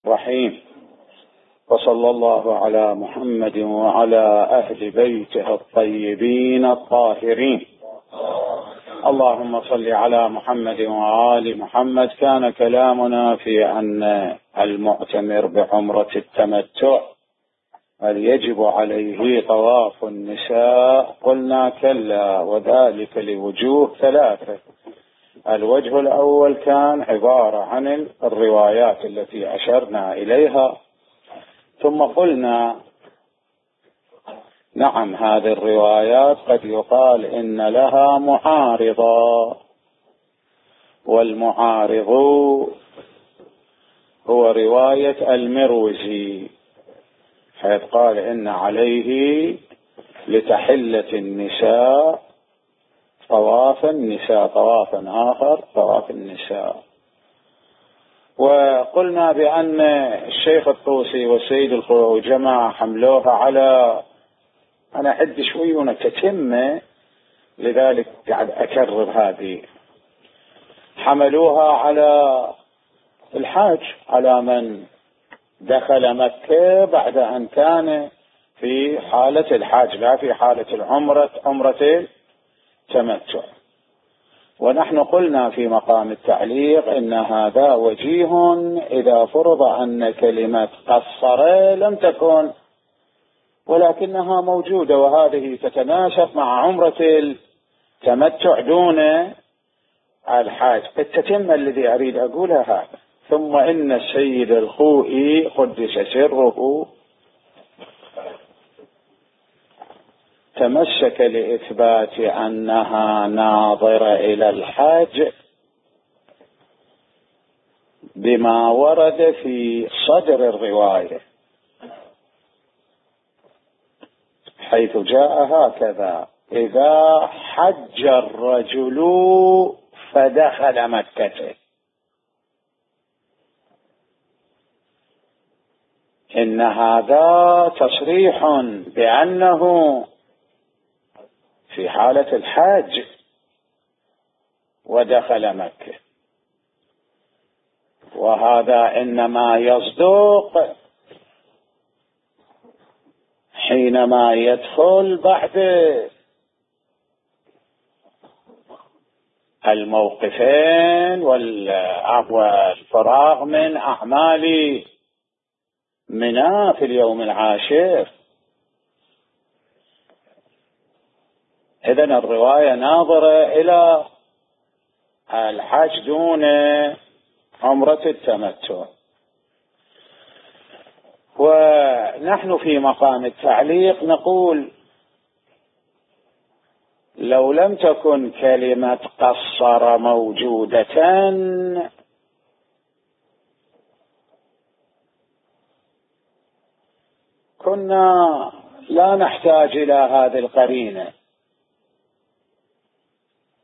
رحيم. وصلى الله على محمد وعلى أهل بيته الطيبين الطاهرين. اللهم صل على محمد وآل محمد. كان كلامنا في أن المعتمر بعمرة التمتع هل يجب عليه طواف النساء؟ قلنا كلا، وذلك لوجوه ثلاثة. الوجه الأول كان عبارة عن الروايات التي أشرنا إليها، ثم قلنا نعم هذه الروايات قد يقال إن لها معارضة، والمعارض هو رواية المروزي، حيث قال إن عليه لتحلة النساء طواف النساء، طوافا آخر طواف النساء. وقلنا بأن الشيخ الطوسي والسيد الخوئي جماعة حملوها على، أنا أعد شوي ونتتمة لذلك قاعد أكرر هذه، حملوها على الحاج، على من دخل مكة بعد أن كان في حالة الحاج لا في حالة عمرة التمتع. ونحن قلنا في مقام التعليق إن هذا وجيه إذا فرض أن كلمة قصر لم تكن، ولكنها موجودة، وهذه تتناسب مع عمرة التمتع دون الحاج. التتمة الذي أريد أقولها هذا. ثم إن السيد الخوئي قدس سره تمسك لإثبات أنها ناظرة إلى الحج بما ورد في صدر الرواية، حيث جاء هكذا: إذا حج الرجل فدخل مكة. إن هذا تصريح بأنه في حالة الحاج ودخل مكة، وهذا إنما يصدق حينما يدخل بعد الموقفين والفراغ من أعمال منى في اليوم العاشر. إذن الرواية ناظرة إلى الحج دون عمرة التمتع. ونحن في مقام التعليق نقول لو لم تكن كلمة قصر موجودة كنا لا نحتاج إلى هذه القرينة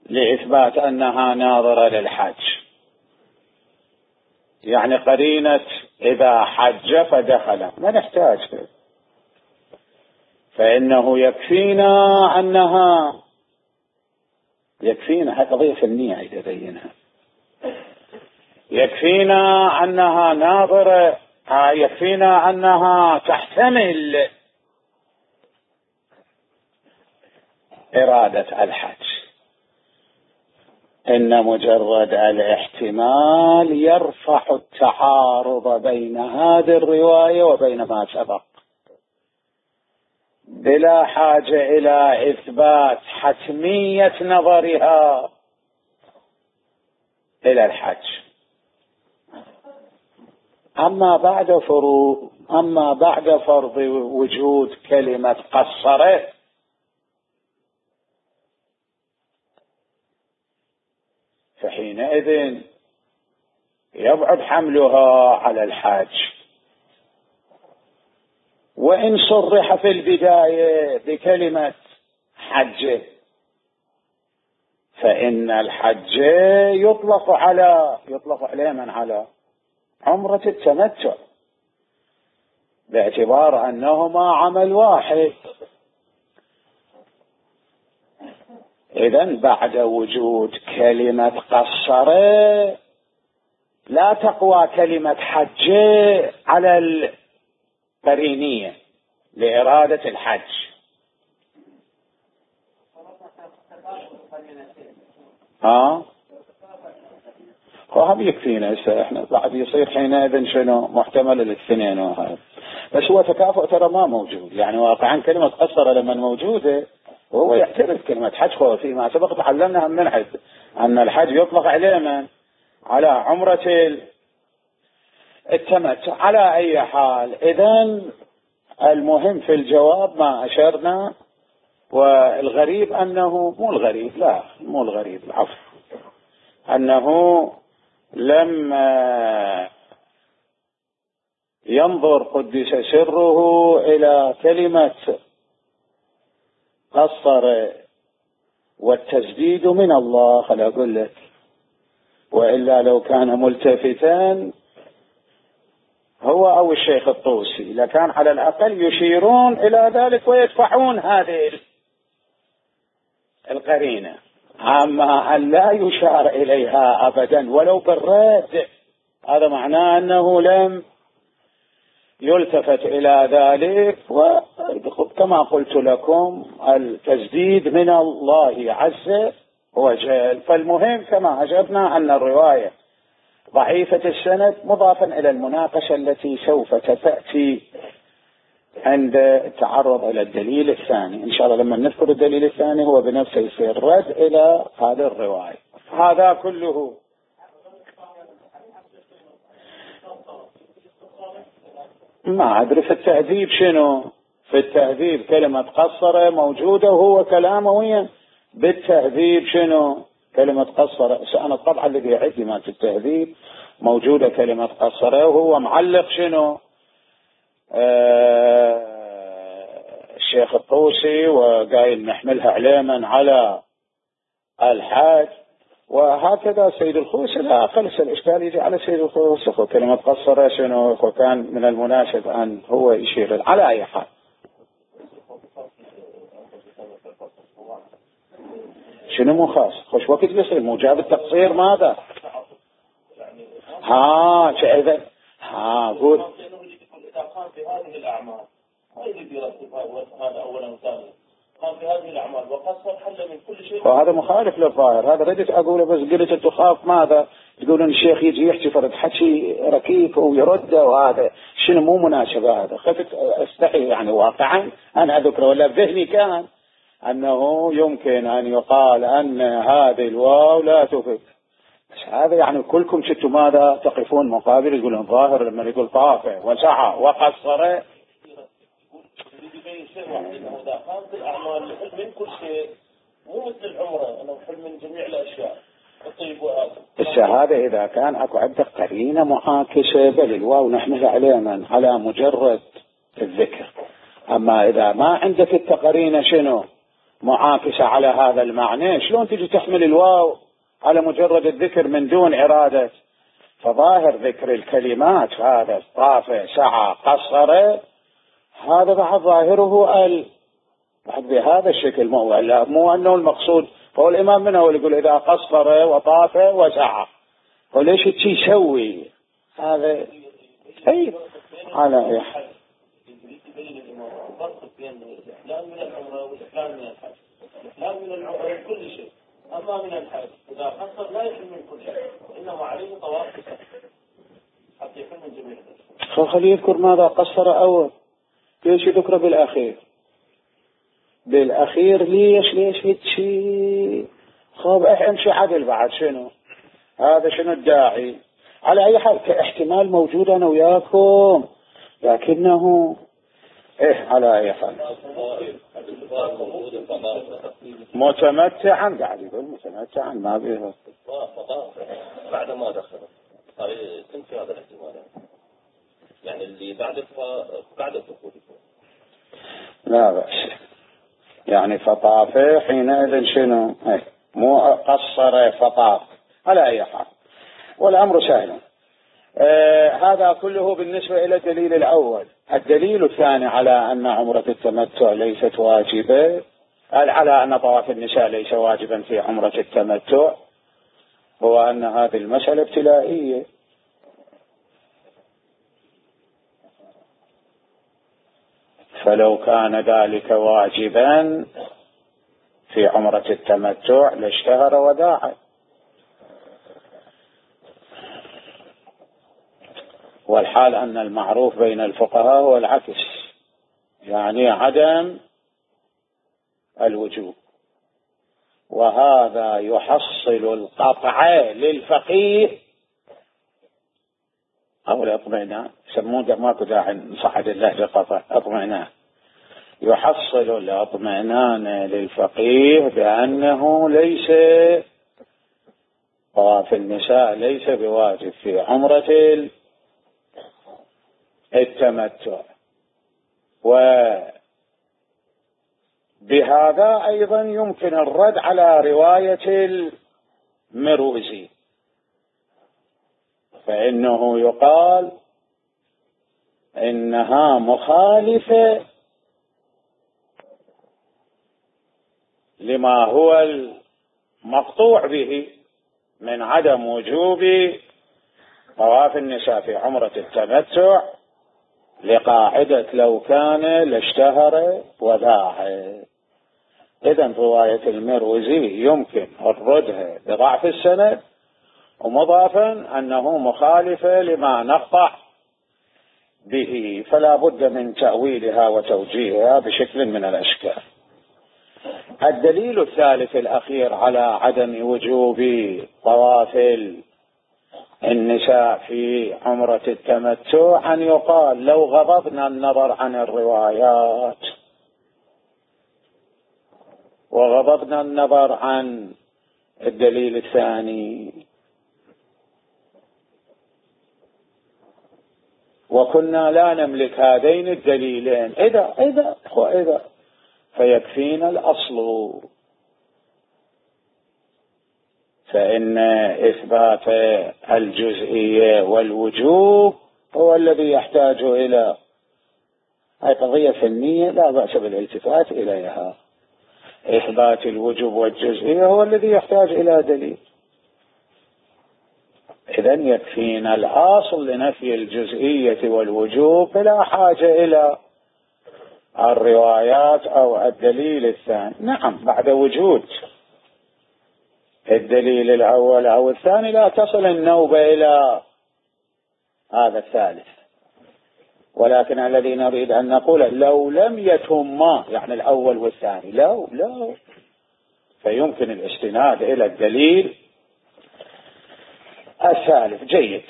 لإثبات أنها ناظرة للحج، يعني قرينة إذا حج فدخل ما نحتاج، فإنه يكفينا أنها هذه قضية فنية إذا بينها، يكفينا أنها ناظرة، يكفينا أنها تحتمل إرادة الحج. إن مجرد الاحتمال يرفع التعارض بين هذه الرواية وبين ما سبق، بلا حاجة إلى إثبات حتمية نظرها إلى الحج. أما بعد فرض وجود كلمة قصرة فحينئذ يبعد حملها على الحج. وإن صرح في البداية بكلمة حج فإن الحج يطلق عليه من على عمرة التمتع، باعتبار أنهما عمل واحد. إذن بعد وجود كلمة قصر لا تقوى كلمة حج على القرينية لإرادة الحج. وهم يكفينا هسه احنا بعد يصير حينئذ شنو محتمل الاثنين وهذا. بس هو تكافؤ ترى ما موجود، يعني واقعا كلمة قصر لما موجودة وهو يعترف كلمة حج. فيما سبق تعلمنا من حد أن الحج يطلق عليه من على عمرة التمتع. على أي حال إذن المهم في الجواب ما أشرنا. والغريب أنه مو الغريب، لا مو الغريب، العفو، أنه لما ينظر قدس سره إلى كلمة قصر والتسديد من الله، خلي أقول لك، وإلا لو كان ملتفتا هو أو الشيخ الطوسي لكان على الأقل يشيرون إلى ذلك ويدفعون هذه القرينة. أما أن لا يشار إليها أبدا ولو بالرد، هذا معناه أنه لم يلتفت إلى ذلك. وكما قلت لكم التسديد من الله عز وجل. فالمهم كما أجبنا أن الرواية ضعيفة السند، مضافا إلى المناقشة التي سوف تأتي عند التعرض إلى الدليل الثاني. إن شاء الله لما نذكر الدليل الثاني هو بنفسه يصير رد إلى هذه الرواية. هذا كله ما أدري في التهذيب شنو. في التهذيب كلمة قصر موجودة وهو كلامه بالتهذيب شنو كلمة قصر. أنا طبعا الذي عندي ما في التهذيب موجودة كلمة قصر وهو معلق شنو الشيخ الطوسي وقايل نحملها علما على الحاج. وهكذا سيد الخوسي لا خلص الإشكال يجي على سيد الخوسي. كلمة قصر شنو وكان من المناسب أن هو يشير على أي حال. شنو مو خاص خوش وقت يصير موجب التقصير ماذا إذا قول إذا قام بهذه الأعمال ما يريد يرتب هذا أولا وثانيا. قام بهذه الأعمال وقصر حل من كل شيء. وهذا مخالف للظاهر. هذا ردت أقوله بس قلت تخاف ماذا تقولون الشيخ يجي يحكي فرد حكي ركيك ويرد وهذا شنو مو مناسبة. هذا خفت استحي يعني واقعا أنا أذكر ولا بذهني كان أنه يمكن أن يقال أن هذه الواو لا تفيد. هذا يعني كلكم شتوا ماذا تقفون مقابل يقولون ظاهر لما يقول طافع وسعى وقصر يبين شيء واحد انه اذا قامت الاعمال الحلم من كل شيء مو مثل العمره انه حلم من جميع الاشياء الطيب وهذا. الشهاده اذا كان اكو عندك قرينه معاكسه بل الواو نحملها عليها على مجرد الذكر. اما اذا ما عندك التقرينه شنو معاكسه على هذا المعنى شلون تجي تحمل الواو على مجرد الذكر من دون إرادة. فظاهر ذكر الكلمات هذا طافع سعى قصر هذا بعد ظاهره بعد بهذا الشكل مو أنه المقصود. فهو الإمام منه يقول إذا قصر وطافع وسعى وليش يسوي هذا أي على أي حال. يبين الإمام الفرق بين الإحلال من العمرة والإحلال من الحج. الإحلال من العمرة من كل شيء أما من الحج إذا قصر لا يحل من كل شيء إنما عليه طواف حتى يحل من جميع الأشياء. خليه يذكر ماذا قصر أول ليش يذكره بالأخير ليش هيك خاب امشي عدل بعد شنو هذا شنو الداعي. على أي حال كاحتمال موجود أنا وياكم لكنه على أي حال متمتعا قاعد يقول متمتعا ما بيه بعد ما دخل تنفي هذا الاحتمال يعني اللي بعد الدخول لا بأس يعني فطاف حينئذ شنو مو قصر فطاف على أي حال والأمر سهل. هذا كله بالنسبة إلى الدليل الأول. الدليل الثاني على أن عمرة التمتع ليست واجبة على أن طواف النساء ليس واجبا في عمرة التمتع هو أن هذه المسألة ابتلائية. فلو كان ذلك واجبا في عمرة التمتع لاشتهر وداعا. والحال أن المعروف بين الفقهاء هو العكس، يعني عدم الوجوب، وهذا يحصل القطع للفقيه أو الاطمئنان، يسمونه ماكو داعي نصعد اللهجة قطع، اطمئنان، يحصل الاطمئنان للفقيه بأنه ليس طواف النساء ليس بواجب في عمرة التمتع. وبهذا أيضا يمكن الرد على رواية المروزي، فإنه يقال إنها مخالفة لما هو المقطوع به من عدم وجوب طواف النساء في عمرة التمتع، لقاعدة لو كان لاشتهر وداعا. إذن رواية المروزي يمكن الردها بضعف السند، ومضافا أنه مخالفة لما نقطع به، فلا بد من تأويلها وتوجيهها بشكل من الأشكال. الدليل الثالث الأخير على عدم وجوب طواف النساء في عمرة التمتع أن يقال لو غضضنا النظر عن الروايات وغضضنا النظر عن الدليل الثاني وكنا لا نملك هذين الدليلين إذا فيكفينا الأصل، فإن إثبات الجزئية والوجوب هو الذي يحتاج إلى هذه قضية فنية لا بأس بالالتفات إليها. إثبات الوجوب والجزئية هو الذي يحتاج إلى دليل. إذن يكفينا الأصل لنفي الجزئية والوجوب بلا حاجة إلى الروايات أو الدليل الثاني. نعم، بعد وجود الدليل الأول أو الثاني لا تصل النوبة إلى هذا الثالث، ولكن الذي نريد أن نقول لو لم يتهما، يعني الأول والثاني لا فيمكن الاستناد إلى الدليل الثالث. جيد،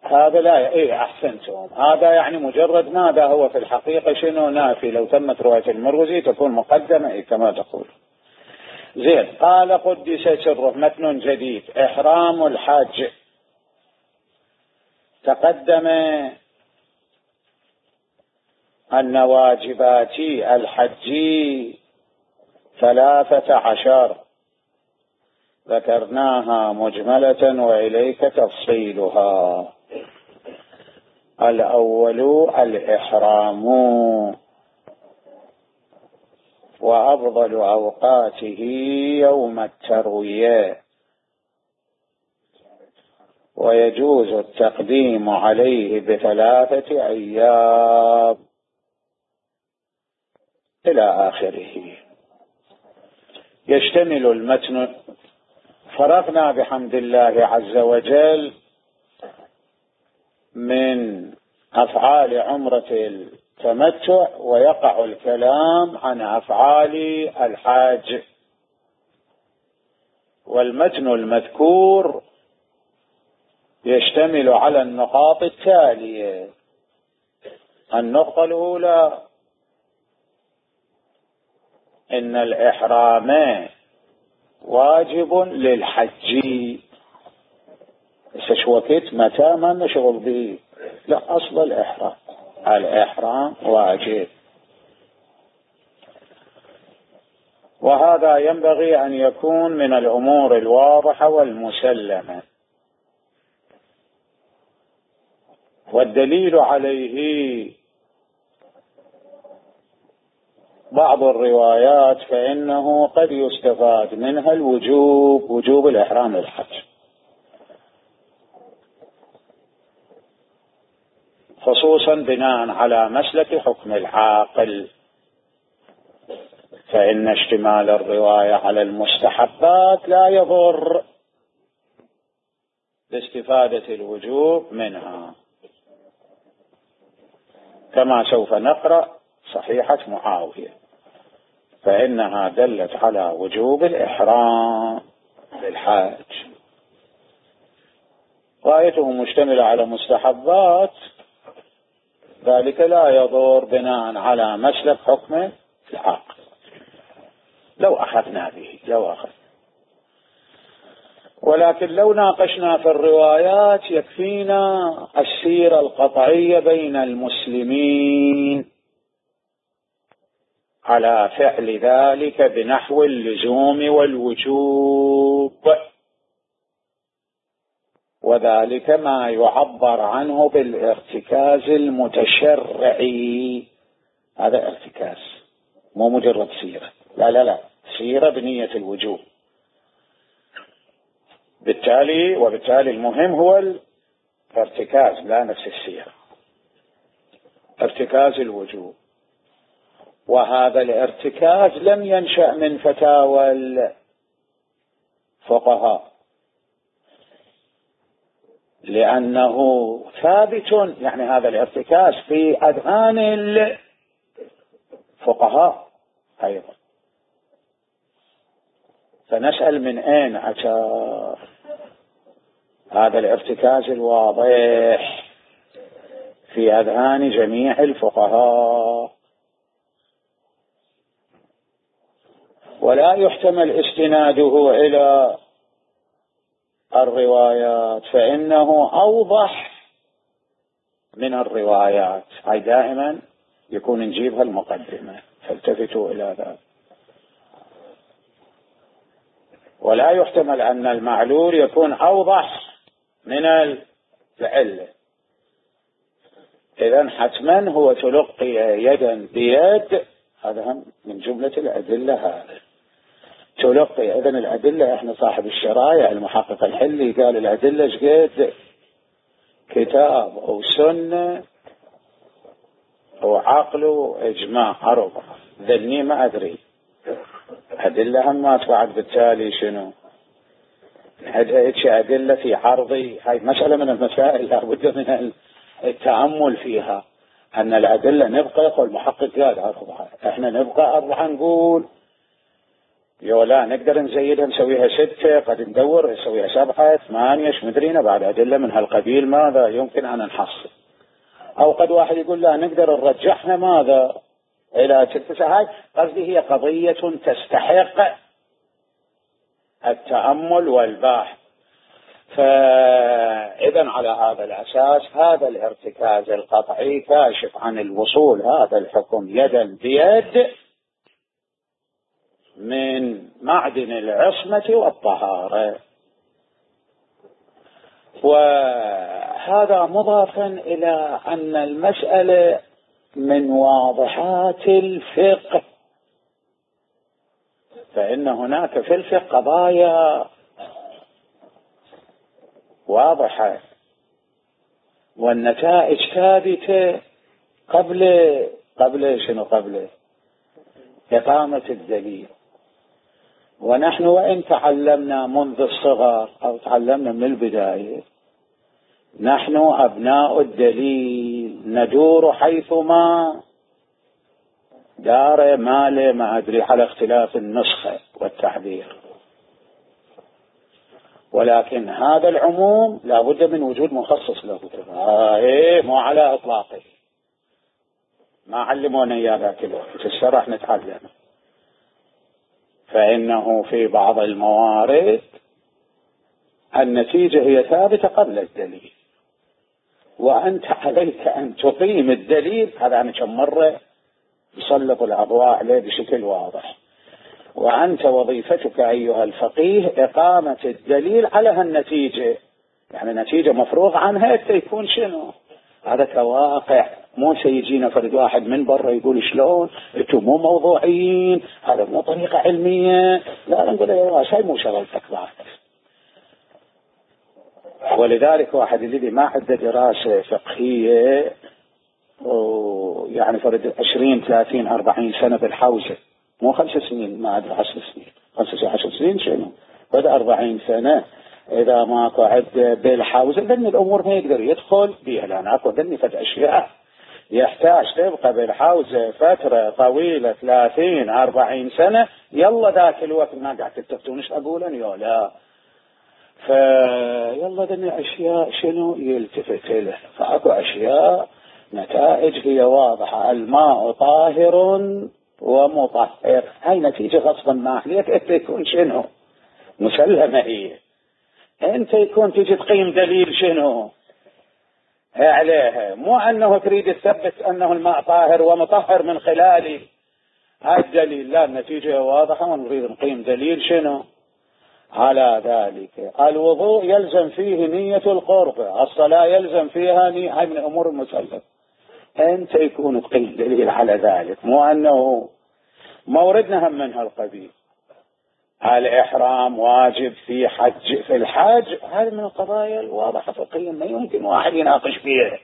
هذا لا أحسنتم، هذا يعني مجرد ماذا هو في الحقيقة شنو نافي. لو تمت رواية المروزي تكون مقدمة كما تقول. زين، قال قدس سره، متن جديد. إحرام الحج. تقدم أن واجبات الحج 13 ذكرناها مجملة وإليك تفصيلها. الأول الإحرام، وأفضل أوقاته يوم التروية، ويجوز التقديم عليه ب3 أيام إلى آخره. يشتمل المتن، فرغنا بحمد الله عز وجل من أفعال عمرة التمتع، ويقع الكلام عن أفعال الحاج. والمتن المذكور يشتمل على النقاط التالية. النقطة الأولى: إن الإحرام واجب للحج. استشوكت متى ما نشغل به، لا، أصل الإحرام واجب، وهذا ينبغي أن يكون من الأمور الواضحة والمسلمة. والدليل عليه بعض الروايات، فإنه قد يستفاد منها الوجوب، وجوب الإحرام للحج. خصوصا بناء على مسلك حكم العاقل، فإن اشتمال الرواية على المستحبات لا يضر باستفادة الوجوب منها، كما سوف نقرأ صحيحة معاوية، فإنها دلت على وجوب الإحرام للحاج، غايته مشتملة على مستحبات، ذلك لا يضر بناء على مسلك حكم العاقل. لو أخذنا به ولكن لو ناقشنا في الروايات يكفينا السيرة القطعية بين المسلمين على فعل ذلك بنحو اللزوم والوجوب، وذلك ما يعبر عنه بالارتكاز المتشرعي. هذا ارتكاز، مو مجرد سيرة، لا سيرة بنية الوجوب. وبالتالي المهم هو الارتكاز لا نفس السيرة، ارتكاز الوجوب. وهذا الارتكاز لم ينشأ من فتاوى الفقهاء، لأنه ثابت، يعني هذا الارتكاز في أذهان الفقهاء أيضا. فنسأل من أين أتى هذا الارتكاز الواضح في أذهان جميع الفقهاء؟ ولا يحتمل استناده إلى الروايات، فإنه أوضح من الروايات. هاي دائما يكون نجيبها المقدمة، فالتفتوا إلى ذلك. ولا يحتمل أن المعلول يكون أوضح من العلة، إذن حتما هو تلقي يدا بيد، هذا هم من جملة الأدلة. هذا تلقي إذن الأدلة، إحنا صاحب الشرايع المحقق الحلي قال الأدلة شقد كتاب أو سنة أو عقل وإجماع 4، ذني ما أدري أدلة هم ما بعد. بالتالي شنو أدلة في عرضي؟ هاي مسألة من المسائل لابد من التأمل فيها، أن الأدلة نبقى، يقول المحقق قال 4، إحنا نبقى 4، نقول لا نقدر نزيدها نسويها 6، قد ندور نسويها 7 8 مدرينا بعد أدلة من هالقبيل، ماذا يمكن أن نحصل؟ أو قد واحد يقول لا نقدر نرجحها ماذا إلى 6. هاي قصدي هي قضية تستحق التأمل والبحث. فإذا على هذا الأساس هذا الارتكاز القطعي كاشف عن الوصول هذا الحكم يدا بيد من معدن العصمة والطهارة. وهذا مضافا إلى أن المسألة من واضحات الفقه، فإن هناك في الفقه قضايا واضحة والنتائج ثابتة قبل إقامة الدليل. ونحن وإن تعلمنا منذ الصغر أو تعلمنا من البداية، نحن أبناء الدليل، ندور حيثما دار ماله ما أدري على اختلاف النسخة والتعبير، ولكن هذا العموم لا بد من وجود مخصص له. مو على إطلاقه، ما علمونا إياه ذاك الوقت، في الشرح نتعلم. فإنه في بعض الموارد النتيجة هي ثابتة قبل الدليل، وأنت عليك أن تقيم الدليل. هذا أنا كم مرة يسلط الأضواء عليه بشكل واضح. وأنت وظيفتك أيها الفقيه إقامة الدليل على هالنتيجة، يعني نتيجة مفروغ عنها يكون شنو؟ هذا كواقع، مو سيجينا فرد واحد من برا يقول شلون انتم مو موضوعيين، هذا مو طريقة علمية. لا نقول يا شيء مو شغلتك بعد. ولذلك واحد الذي ما عنده دراسة فقهية يعني فرد 20 30 40 سنة بالحوزة، مو 5 سنين، ما أدري 10 سنين، 10 سنين شنو بدأ 40 سنة. إذا ماكو عدة بالحوزة ذني الأمور ما يقدر يدخل بيها، لأن أكو ذني فد أشياء يحتاج تبقى بالحوزة فترة طويلة 30 40 سنة. يلا ذاك الوقت ما قاعد تتفتونش أقول أن يلا فيلا ذني أشياء شنو يلتفت له. فأكو أشياء نتائج هي واضحة، الماء طاهر ومطهر، هاي نتيجة غصبا ما عليك انت يكون شنو مسلمة. هي انت يكون تيجي تقيم دليل شنو عليها، مو انه تريد تثبت انه الماء طاهر ومطهر من خلال هذا الدليل، لا، النتيجة واضحة ونريد نقيم دليل شنو على ذلك. الوضوء يلزم فيه نية القرب، الصلاة يلزم فيها نية، هاي من الأمور المسلمة. أنت يكون تقيم دليل على ذلك، مو أنه موردنا هم من هالقبيل. الإحرام واجب في الحج، هذه من القضايا الواضحة فقهيا ما يمكن واحد يناقش فيها.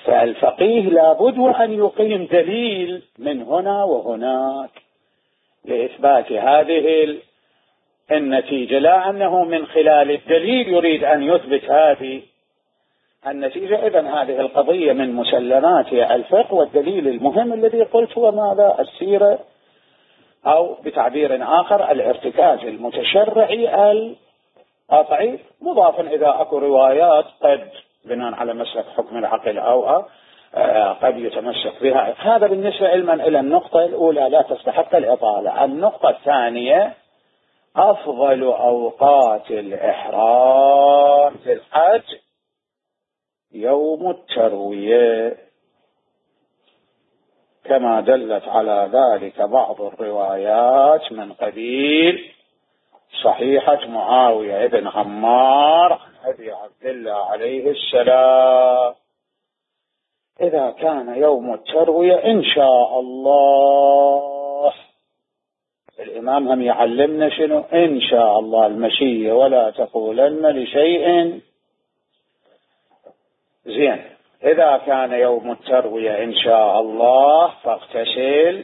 فالفقيه لابد وأن يقيم دليل من هنا وهناك لإثبات هذه النتيجة، لا أنه من خلال الدليل يريد أن يثبت هذه النتيجة. إذن هذه القضية من مسلمات الفقه، والدليل المهم الذي قلت هو ماذا؟ السيرة، أو بتعبير آخر الارتكاز المتشرعي القطعي، مضافا إذا أكو روايات قد بناء على مسلك حكم العقل أو قد يتمسك بها. هذا بالنسبة علما إلى النقطة الأولى لا تستحق الإطالة. النقطة الثانية، أفضل أوقات الإحرام في الحج يوم التروية، كما دلت على ذلك بعض الروايات من قبيل صحيحة معاوية بن عمار عن أبي عبد الله عليه السلام. إذا كان يوم التروية إن شاء الله، الإمام هم يعلمنا شنو إن شاء الله المشية، ولا تقولن لشيء زين. إذا كان يوم التروية إن شاء الله فاغتسل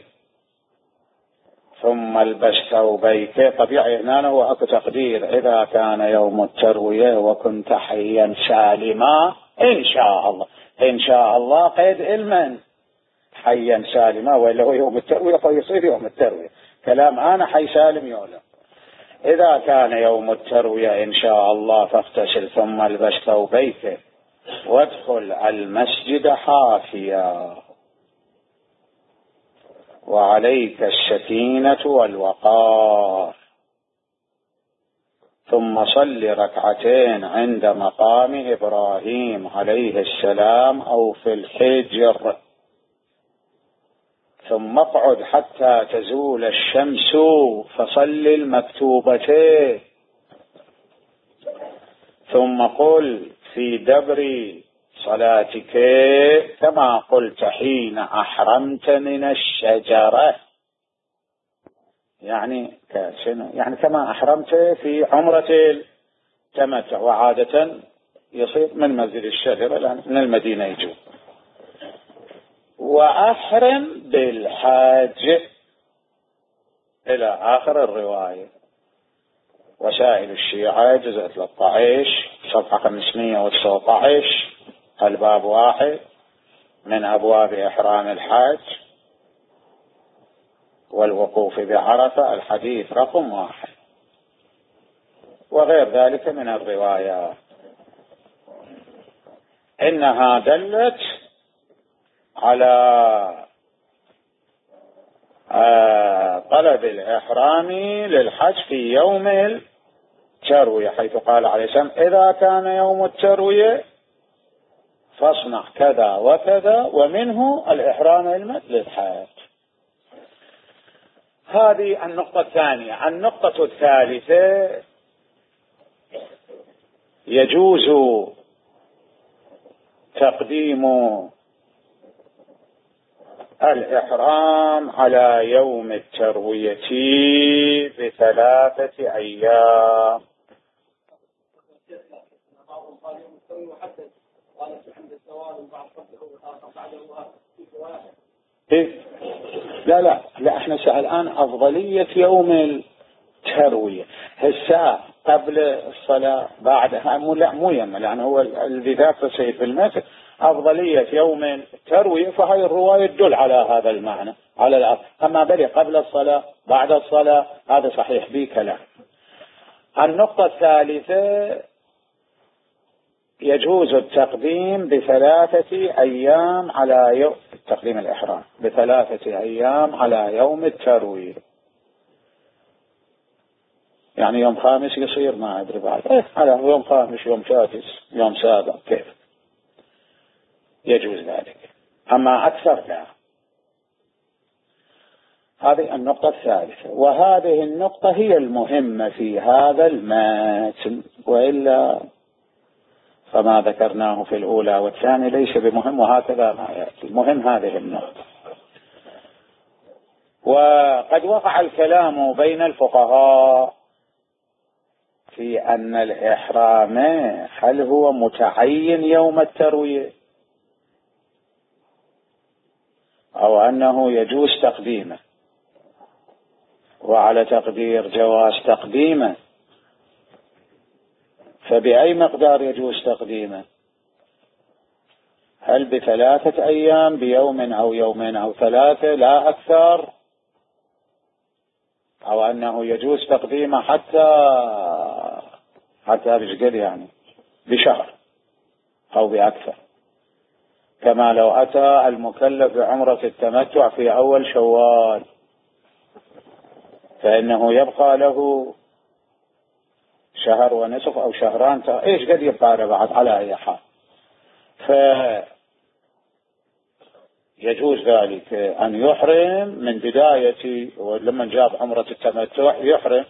ثم البس ثوبيك. طبيعي هنا هو أكو تقدير، إذا كان يوم التروية وكنت حيا سالما إن شاء الله. إن شاء الله قيد علما حيا سالما، وإلا هو يوم التروية فيصير يوم التروية. كلام أنا حي سالم يولد. إذا كان يوم التروية إن شاء الله فاغتسل ثم البس ثوبيك وادخل المسجد حافيا وعليك السكينة والوقار، ثم صل ركعتين عند مقام إبراهيم عليه السلام أو في الحجر، ثم اقعد حتى تزول الشمس فصل المكتوبتين، ثم قل في دبر صلاتك كما قلت حين أحرمت من الشجرة، يعني كما أحرمت في عمرة التمتع، وعادة يصير من مسجد الشجرة لأن من المدينة يجوا. وأحرم بالحج إلى آخر الرواية. وسائل الشيعة جزء 13 صفحة 519 الباب 1 من أبواب إحرام الحج والوقوف بعرفة الحديث رقم 1، وغير ذلك من الروايات. إنها دلت على طلب الإحرام للحج في يوم التروية، حيث قال عليه السلام إذا كان يوم التروية فاصنع كذا وكذا، ومنه الإحرام للحج. هذه النقطة الثانية. النقطة الثالثة، يجوز تقديم الإحرام على يوم التروية ب3 أيام. قال يوم التروية وحدد، قال عند الزوال وبعد بعده لا احنا الآن أفضلية يوم التروية. هسه قبل الصلاة بعدها مو يما، لأن هو الذي ذاك سيد في المثل أفضلية يوم التروية، فهي الرواية تدل على هذا المعنى على الأرض. أما بلي قبل الصلاة بعد الصلاة هذا صحيح به كلام. النقطة الثالثة يجوز التقديم ب3 أيام على يوم تقديم الإحرام، ب3 أيام على يوم التروية. يعني يوم خامس يصير ما أدري بعد على يوم خامس، يوم سادس، يوم سابع، كيف يجوز ذلك. أما أكثر لا. هذه النقطة الثالثة، وهذه النقطة هي المهمة في هذا المتن، وإلا فما ذكرناه في الأولى والثانية ليس بمهم، وهكذا ما يأتي. المهم هذه النقطة. وقد وقع الكلام بين الفقهاء في أن الإحرام هل هو متعين يوم التروية أو أنه يجوز تقديمه، وعلى تقدير جواز تقديمه فبأي مقدار يجوز تقديمه؟ هل ب3 أيام، بيوم أو يومين أو 3 لا أكثر، أو أنه يجوز تقديمه حتى بشقد يعني بشهر أو بأكثر، كما لو أتى المكلف بعمرة التمتع في أول شوال فإنه يبقى له شهر ونصف أو شهران، إيش قد يبقى بعد على أي حال. فيجوز ذلك أن يحرم من بداية، ولما جاب عمرة التمتع يحرم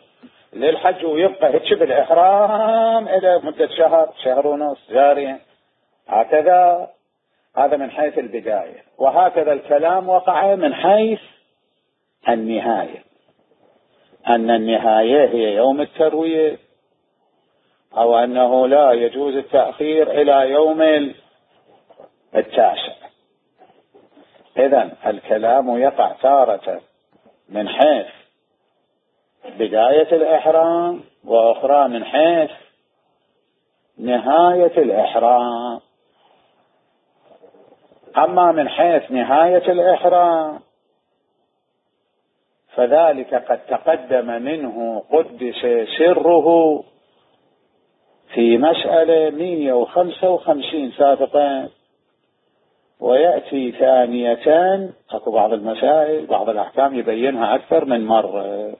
للحج ويبقى هيك بالإحرام إلى مدة شهر ونص جاريا هكذا. هذا من حيث البداية. وهكذا الكلام وقع من حيث النهاية، أن النهاية هي يوم التروية، أو أنه لا يجوز التأخير إلى يوم 9. إذن الكلام يقع تارة من حيث بداية الإحرام، وأخرى من حيث نهاية الإحرام. أما من حيث نهاية الإحرام فذلك قد تقدم منه قدس سره في مسألة 155 سابقا، ويأتي ثانية أكو بعض المسائل بعض الأحكام يبينها أكثر من مرة،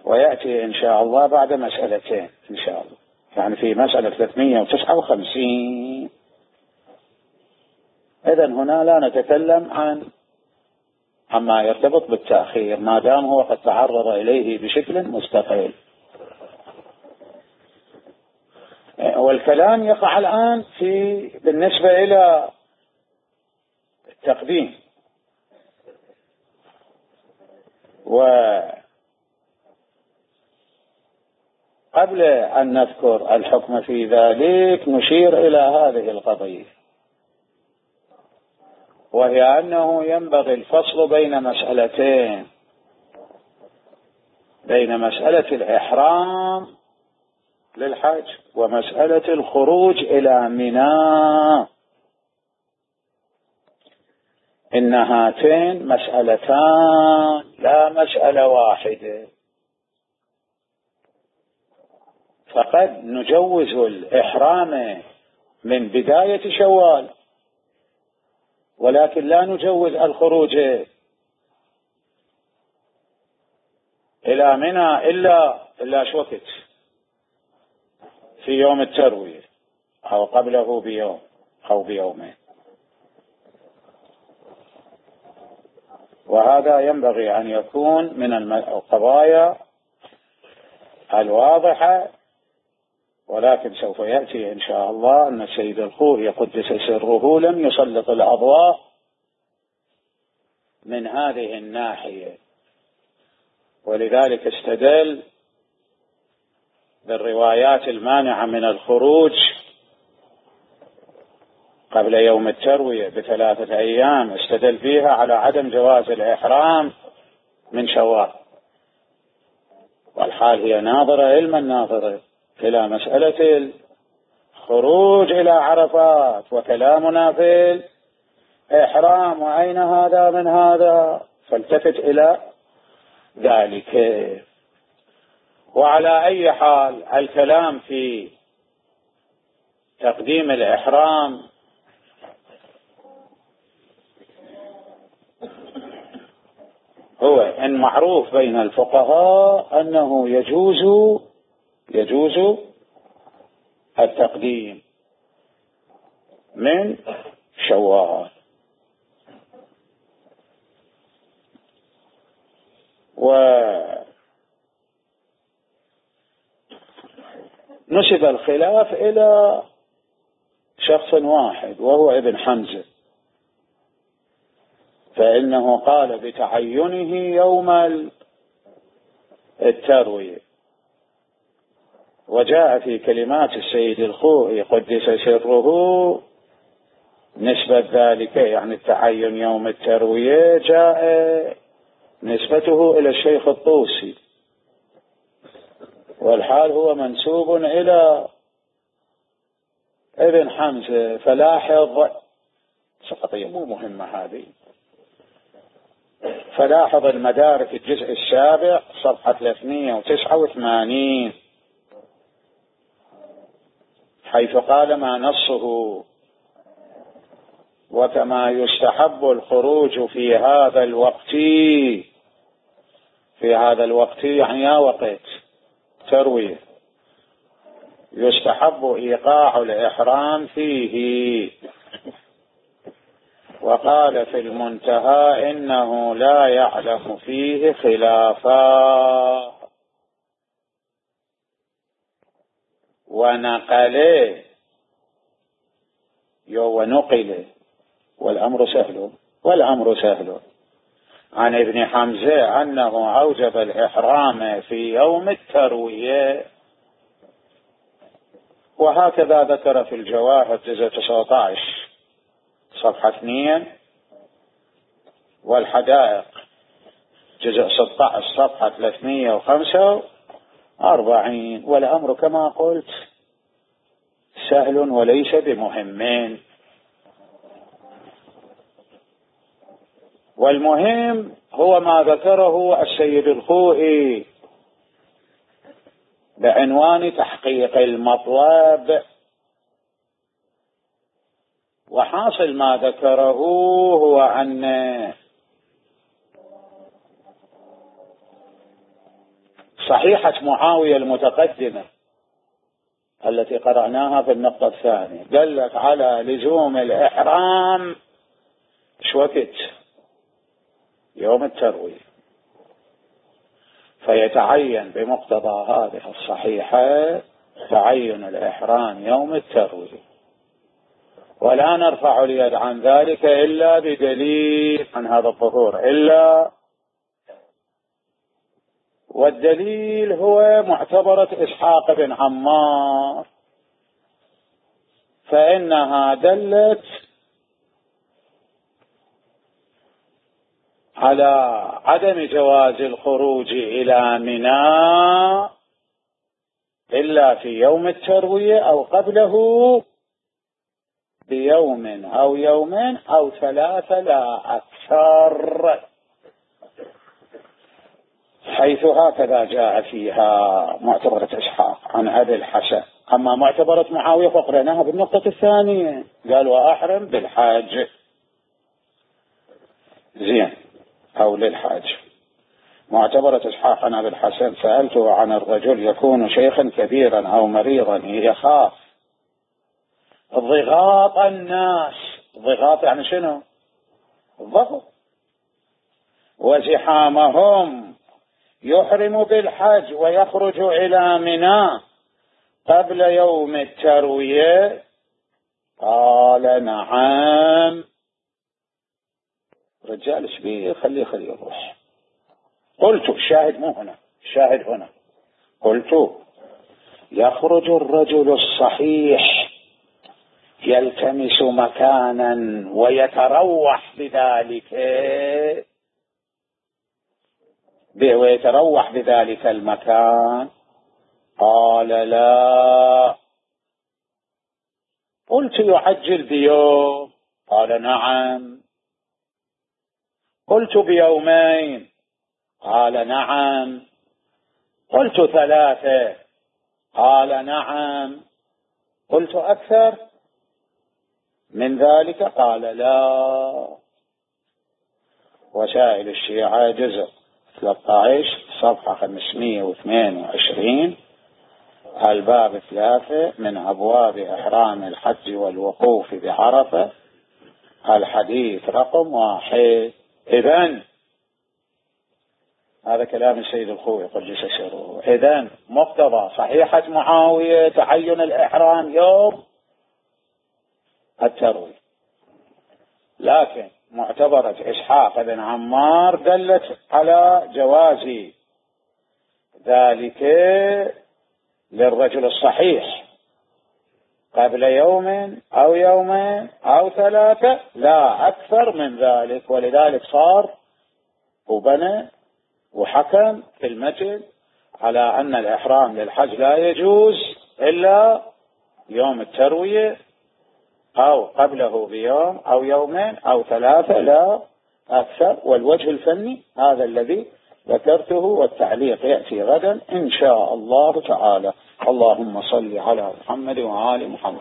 ويأتي إن شاء الله بعد مسألتين إن شاء الله، يعني في مسألة 359. إذن هنا لا نتكلم عما يرتبط بالتأخير ما دام هو قد تعرض إليه بشكل مستقل. والكلام يقع الآن بالنسبة إلى التقديم. وقبل أن نذكر الحكم في ذلك نشير إلى هذه القضية، وهي أنه ينبغي الفصل بين مسألتين، بين مسألة الإحرام للحج ومسألة الخروج إلى منى. إن هاتين مسألتان لا مسألة واحدة، فقد نجوز الإحرام من بداية شوال، ولكن لا نجوز الخروج إلى منى إلا شوكت في يوم التروية أو قبله بيوم أو بيومين. وهذا ينبغي أن يكون من القضايا الواضحة، ولكن سوف يأتي إن شاء الله أن السيد الخوري قدس سره لم يسلط الأضواء من هذه الناحية، ولذلك استدل بالروايات المانعة من الخروج قبل يوم التروية ب3 أيام استدل فيها على عدم جواز الإحرام من شوال، والحال هي ناظرة علما ناظرة إلى مسألة الخروج إلى عرفات، وكلامنا في الإحرام وأين هذا من هذا، فالتفت إلى ذلك. وعلى أي حال الكلام في تقديم الإحرام هو إن معروف بين الفقهاء أنه يجوز التقديم من شوال. ونسب الخلاف إلى شخص واحد وهو ابن حمزة، فإنه قال بتعينه يوم التروية، وجاء في كلمات السيد الخوئي قدس سره نسبة ذلك، يعني التعين يوم التروية جاء نسبته إلى الشيخ الطوسي، والحال هو منسوب إلى ابن حمزة. فلاحظ سقطية مو مهمة هذه، فلاحظ المدارك الجزء 7 صفحة 389 حيث قال ما نصه: وكما يستحب الخروج في هذا الوقت يعني يا وقت تروية، يستحب إيقاع الإحرام فيه. وقال في المنتهى إنه لا يعلم فيه خلافا، ونقل والأمر سهل عن ابن حمزة أنه أوجب الإحرام في يوم التروية، وهكذا ذكر في الجواهر جزء 19 صفحة 2، والحدائق جزء 16 صفحة 345. والأمر كما قلت سهل وليس بمهم، والمهم هو ما ذكره السيد الخوئي بعنوان تحقيق المطلب. وحاصل ما ذكره هو أن صحيحة معاوية المتقدمة التي قرأناها في النقطة الثانية دلت على لزوم الإحرام شوكت يوم التروية، فيتعين بمقتضى هذه الصحيحة تعين الإحرام يوم التروية، ولا نرفع اليد عن ذلك إلا بدليل عن هذا الظهور والدليل هو معتبرة إسحاق بن عمار، فإنها دلت على عدم جواز الخروج إلى منى إلا في يوم التروية أو قبله بيوم أو يومين أو 3 لا أكثر، حيث هكذا جاء فيها معتبرة إسحاق عن أبي الحسن. أما معتبرة معاوية فقرناها بالنقطة الثانية، قال وأحرم بالحاج زين أو للحاج. معتبرة إسحاق عن أبي الحسن سألته عن الرجل يكون شيخا كبيرا أو مريضا يخاف ضغاط الناس، ضغاط يعني شنو؟ الضغط، وزحامهم، يحرم بالحج ويخرج إلى منى قبل يوم التروية؟ قال نعم. رجال شبيه خليه يروح. قلت الشاهد مو هنا، الشاهد هنا. قلت يخرج الرجل الصحيح يلتمس مكانا ويتروح بذلك المكان؟ قال لا. قلت يعجل بيوم؟ قال نعم. قلت بيومين؟ قال نعم. قلت 3؟ قال نعم. قلت أكثر من ذلك؟ قال لا. وسائل الشيعة جزء 13 صفحة 522 الباب 3 من أبواب إحرام الحج والوقوف بعرفة الحديث رقم 1. إذن هذا كلام السيد الخوئي قدس سره. إذن مقتضى صحيحة معاوية تعين الإحرام يوم التروية، لكن معتبرة إسحاق بن عمار دلت على جواز ذلك للرجل الصحيح قبل يوم أو يومين أو 3، لا أكثر من ذلك. ولذلك صار وبنى وحكم في المجد على أن الإحرام للحج لا يجوز إلا يوم التروية أو قبله بيوم أو يومين أو 3، لا أكثر. والوجه الفني هذا الذي ذكرته، والتعليق يأتي غدا إن شاء الله تعالى. اللهم صل على محمد وآل محمد.